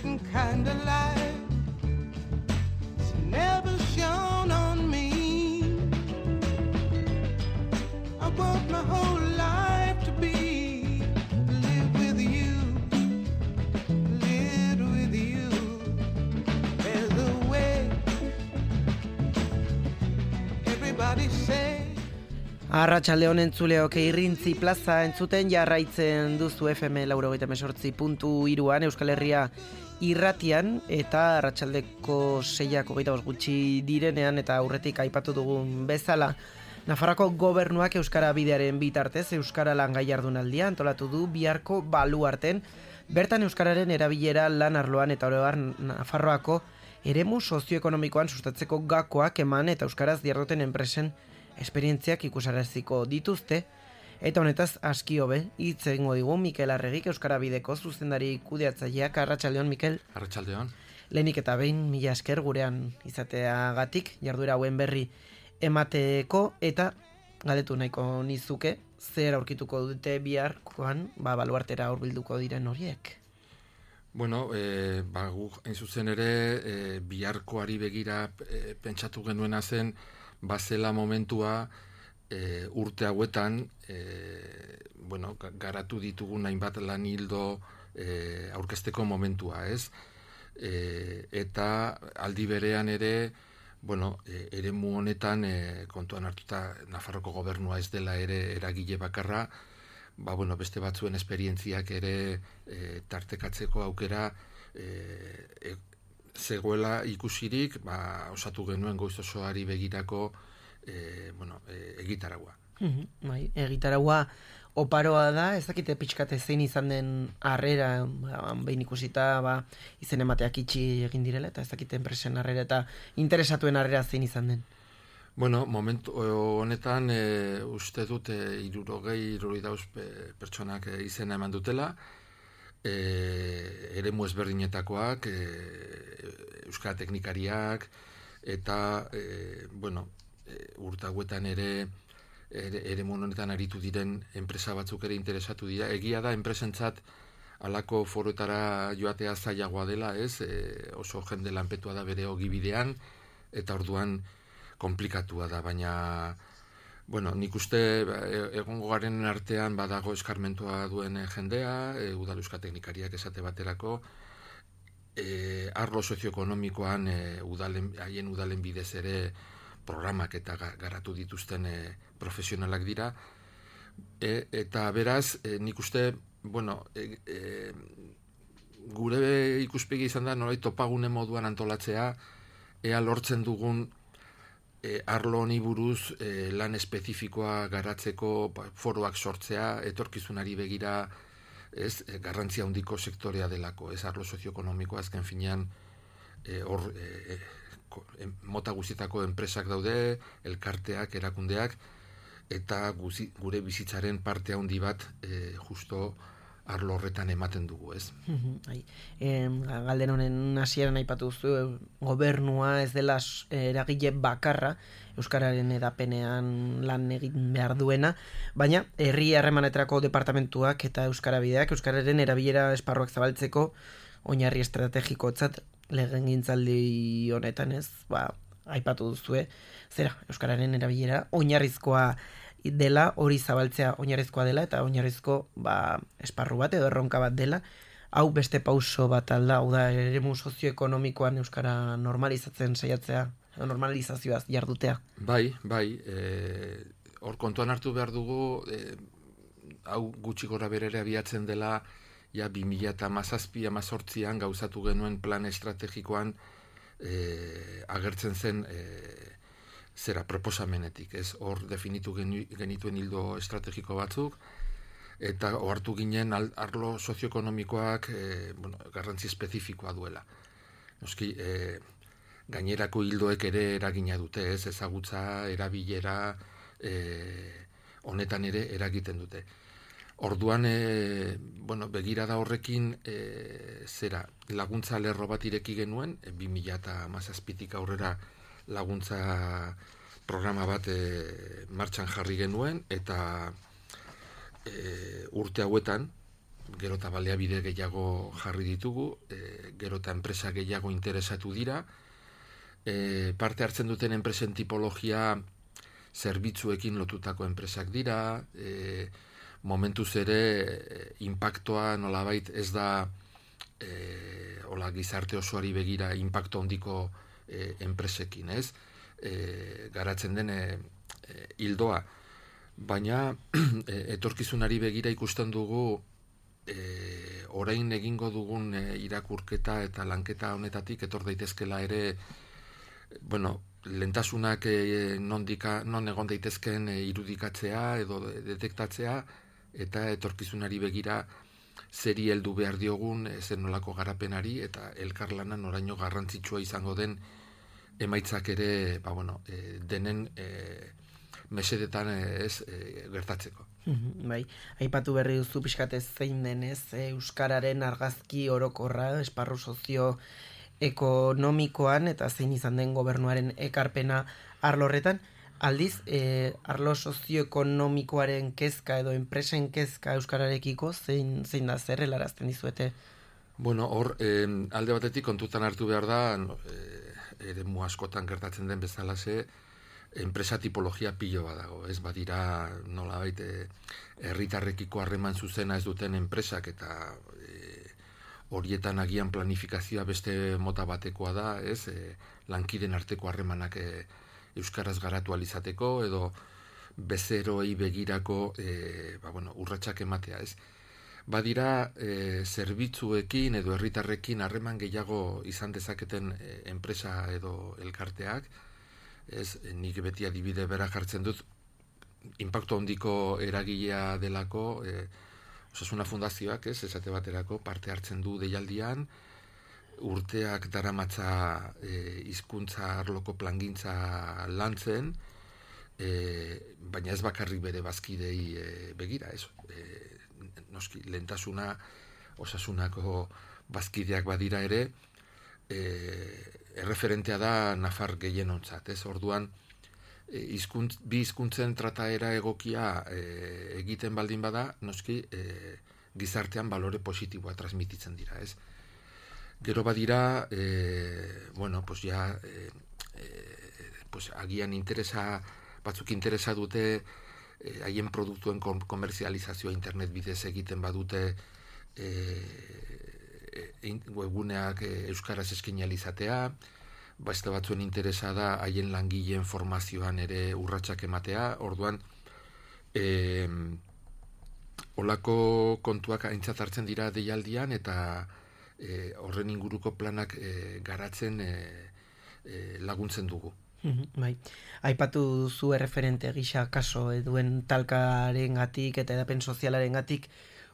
different kind of light. It's never shone on me. I want my whole life to be live with you, live with you. There's a way. Everybody say. Arratsalde honen entzuleok Irrintzi plaza entzuten jarraitzen duzu FM 98.3an Euskal Herria irratian eta arratsaldeko 6:25 gutxi direnean eta aurretik aipatu dugun bezala Nafarroako gobernuak euskara bidearen bitartez euskara langai jardunaldia antolatu du biharko baluarten bertan euskararen erabilera lan arloan eta oro har Nafarroako eremu sozioekonomikoan sustatzeko gakoak eman eta euskaraz diharduten enpresen esperientziak ikusaraziko dituzte, eta honetaz aski hobe hitz egingo digu Mikel Arregik Euskara Bideko zuzendari kudeatzaileak. Arratsaldeon, Mikel. Arratsaldeon. Lehenik eta behin mila esker gurean izateagatik jarduera hauen berri emateko eta galdetu nahiko nizuke zer aurkituko dute biharkoan baluartera hurbilduko diren horiek. Bueno, guk hain zuzen ere biharkoari begira pentsatu genuena zen bazela momentua urte hauetan garatu ditugun hainbat lan hildo aurkezteko momentua, ez? Eta aldi berean ere, eremu honetan kontuan hartuta Nafarroko gobernua ez dela ere eragile bakarra, beste batzuen esperientziak ere tartekatzeko aukera zegoela ikusirik, osatu genuen goiz osoari begirako egitaragua. Bai, egitaragua oparoa da, ez dakite pixkate zein izan den harrera, behin ikusita izen emateak itxi egin direla, eta ez dakite enpresen harrera eta interesatuen harrera zein izan den. Bueno, momentu honetan uste dut 60 pertsonak izena eman dutela, eremu ezberdinetakoak, euskara teknikariak, eta, urte hauetan ere eremu honetan aritu diren enpresa batzuk ere interesatu dira. Egia da, enpresentzat halako foroetara joatea zailagoa dela, ez? Oso jende lanpetua da bere ogibidean, eta orduan komplikatua da, baina nik uste egongo garen artean badago eskarmentua duen jendea, udal euskal teknikariak esate baterako, arlo sozioekonomikoan haien udalen bidez ere programak eta garatu dituzten profesionalak dira, eta beraz, nik uste, gure ikuspegi izan da nolait topagune moduan antolatzea, ea lortzen dugun arlo honi buruz lan espezifikoa garatzeko foroak sortzea, etorkizunari begira garrantzia handiko sektorea delako, arlo sozioekonomikoa azken finean mota guztietako enpresak daude, elkarteak, erakundeak, eta gure bizitzaren parte handi bat justo arlo horretan ematen dugu, ez? Galden honen hasieran aipatu duzu, gobernua ez dela eragile bakarra euskararen edapenean lan egin behar duena, baina herri harremanetarako departamentuak eta euskara bideak euskararen erabilera esparruak zabaltzeko oinarri estrategikotzat legegintzaldi honetan, ez? Aipatu duzue, euskararen erabilera oinarrizkoa dela, hori zabaltzea oinarrizkoa dela, eta oinarrizko esparru bat edo erronka bat dela. Hau beste pauso bat alda, hau da eremu sozioekonomikoan euskara normalizatzen saiatzea, normalizazioaz jardutea. Bai, hor kontuan hartu behar dugu, hau gutxi gora berere abiatzen dela, 2017-18an gauzatu genuen plan estrategikoan agertzen zen proposamenetik, ez? Hor definitu genituen hildo estrategiko batzuk, eta ohartu ginen arlo sozioekonomikoak garrantzi espezifikoa duela. Noski, gainerako hildoek ere eragina dute, ez? Ezagutza, erabilera, honetan ere eragiten dute. Orduan, begirada horrekin laguntza lerro bat ireki genuen, 2017tik aurrera laguntza programa bat martxan jarri genuen, eta urte hauetan, gero eta baliabide gehiago jarri ditugu, gero eta enpresa gehiago interesatu dira, parte hartzen duten enpresen tipologia zerbitzuekin lotutako enpresak dira, momentuz ere inpaktoa nolabait ez da hola gizarte osoari begira inpakto handiko enpresekin, ez? Garatzen den hildoa. Baina etorkizunari begira ikusten dugu orain egingo dugun irakurketa eta lanketa honetatik etor daitezkela ere lentasunak non egon daitezken irudikatzea edo detektatzea eta etorkizunari begira zeri heldu behar diogun zer nolako garapenari eta elkarlanan oraino garrantzitsua izango den emaitzak ere denen mesedetan gertatzeko. Bai, aipatu berri duzu pixkatez zein denez euskararen argazki orokorra esparru sozioekonomikoan eta zein izan den gobernuaren ekarpena arlo horretan. Aldiz, arlo sozioekonomikoaren kezka edo enpresen kezka euskararekiko zein da zer helarazten dizuete? Hor, alde batetik kontutan hartu behar da, eremu askotan gertatzen den bezalaxe, enpresa tipologia pilo badago, ez badira nolabait herritarrekiko harreman zuzena ez duten enpresak eta horietan agian planifikazioa beste mota batekoa da, ez lankiden arteko harremanak euskaraz garatu alizateko edo bezeroei begirako urratsak ematea, ez? Badira zerbitzuekin edo herritarrekin harreman gehiago izan dezaketen enpresa edo elkarteak, ez, nik beti adibide bera jartzen dut, inpaktu handiko eragilea delako, Osasuna Fundazioak, ez, esate baterako, parte hartzen du deialdian, urteak daramatza hizkuntza arloko plangintza lantzen, baina ez bakarrik bere bazkidei begira, ez, noski, lehentasuna Osasunako bazkideak badira ere, erreferentea da nafar gehienontzat, ez? Orduan, bi hizkuntzen trataera egokia egiten baldin bada, noski, gizartean balore positiboa transmititzen dira, ez? Gero badira, agian batzuk interesa dute, haien produktuen komerzializazioa internet bidez egiten badute, webguneak euskaraz eskaini izatea, beste batzuen interesa da haien langileen formazioan ere urratsak ematea, orduan olako kontuak aintzat hartzen dira deialdian eta horren inguruko planak garatzen laguntzen dugu. Bai. Aipatu duzu erreferente gisa kaso duen talkarengatik eta edapen sozialarengatik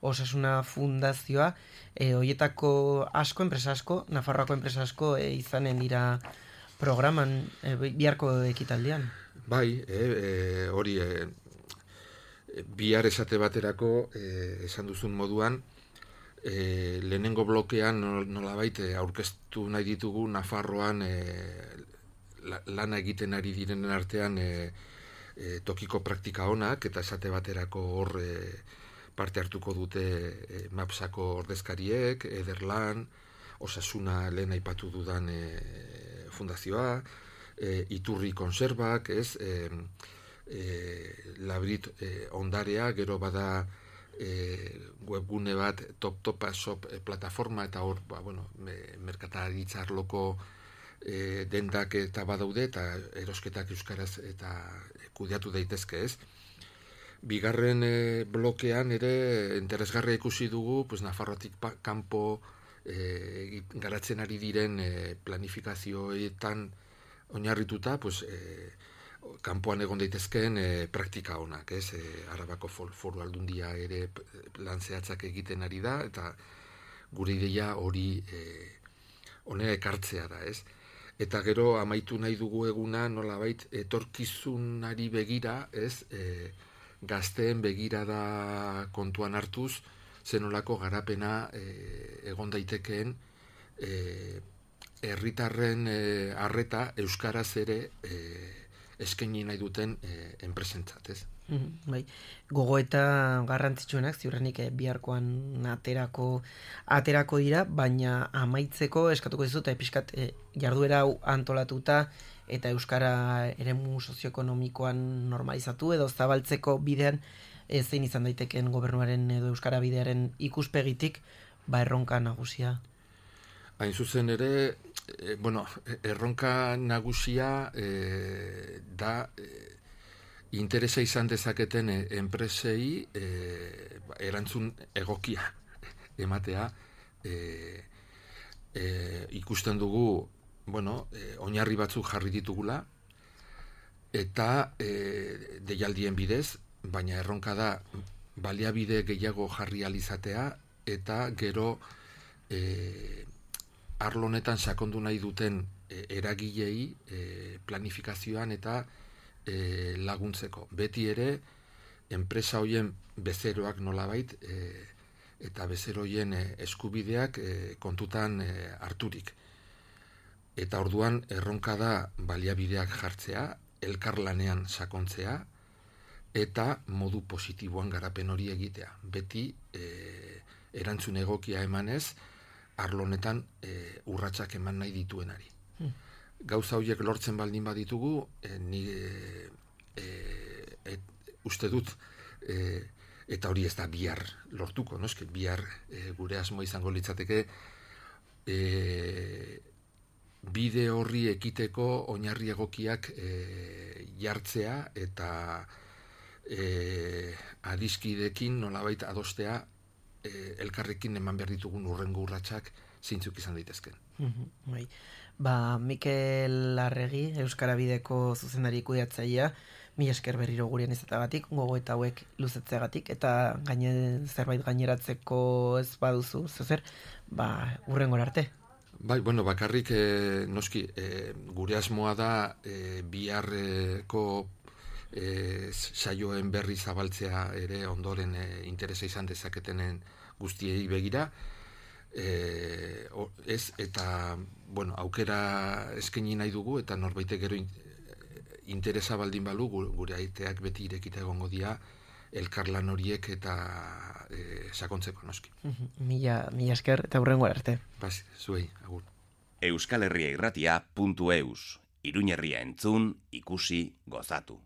Osasuna Fundazioa, hoietako asko, enpresa asko, Nafarroako enpresa asko izanen dira programan biharko ekitaldian. Bai, hori bihar esate baterako esan duzun moduan, lehenengo blokean nolabait aurkeztu nahi ditugu Nafarroan lana egiten ari direnen artean tokiko praktika onak eta esate baterako hor parte hartuko dute Mapsako ordezkariek, Ederlan, Osasuna lehen aipatu dudan fundazioa, Iturri Konserbak, ez, Labrit ondarea, gero bada webgune bat Topa Shop plataforma eta hor, merkataritza arloko dendak eta badaude eta erosketak euskaraz eta kudeatu daitezke, ez. Bigarren blokean ere interesgarria ikusi dugu, Nafarroatik kanpo garatzen ari diren planifikazioetan oinarrituta, kanpoan egon daitezkeen praktika onak, ez? Arabako Foru Aldundia ere lan zehatzak egiten ari da, eta gure ideia hori honera ekartzea da, ez? Eta gero amaitu nahi dugu eguna nolabait etorkizunari begira, ez? Gazteen begirada kontuan hartuz, zenolako garapena egon daitekeen herritarren arreta euskaraz ere eskaini nahi duten enpresentzat, ez? Bai, gogoeta garrantzitsuenak ziurrenik biharkoan aterako dira, baina amaitzeko eskatuko dizut pixkat jarduera hau antolatuta eta euskara eremu sozioekonomikoan normalizatu edo zabaltzeko bidean zein izan daiteken gobernuaren edo euskara bidearen ikuspegitik erronka nagusia. Hain zuzen ere, erronka nagusia da interesa izan dezaketen enpresei erantzun egokia ematea. Ikusten dugu, oinarri batzuk jarri ditugula, eta deialdien bidez, baina erronka da baliabide gehiago jarri alizatea, eta gero arlo honetan sakondu nahi duten eragilei planifikazioan eta laguntzeko. Beti ere, enpresa hoien bezeroak nolabait eta bezero hoien eskubideak kontutan harturik. Eta orduan erronka da baliabideak jartzea, elkarlanean sakontzea, eta modu positiboan garapen hori egitea. Beti erantzun egokia emanez, arlo honetan urratsak eman nahi dituenari. Gauza horiek lortzen baldin baditugu, ni uste dut, eta hori ez da bihar lortuko, noski bihar gure asmo izango litzateke, bide horri ekiteko oinarri egokiak jartzea eta adiskidekin nolabait adostea elkarrekin eman behar ditugun urrengo urratsak zeintzuk izan daitezken. Bai. Mikel Arregi, Euskara Bideko zuzendari kudeatzailea, mila esker berriro gurean izatagatik, gogoeta hauek luzetzeagatik, eta zerbait gaineratzeko ez baduzu, zer, hurrengora arte. Bai, bakarrik noski, gure asmoa da biharreko saioen berri zabaltzea ere ondoren interesa izan dezaketenen guztiei begira, eta aukera eskaini nahi dugu eta norbaitek gero interesa baldin balu gure aiteak beti irekita egongo dira elkarlan horiek eta sakontzeko noski. Mila esker eta hurrengora arte. Zuei, agur. euskalherriairratia.eus Iruñerria entzun, ikusi, gozatu.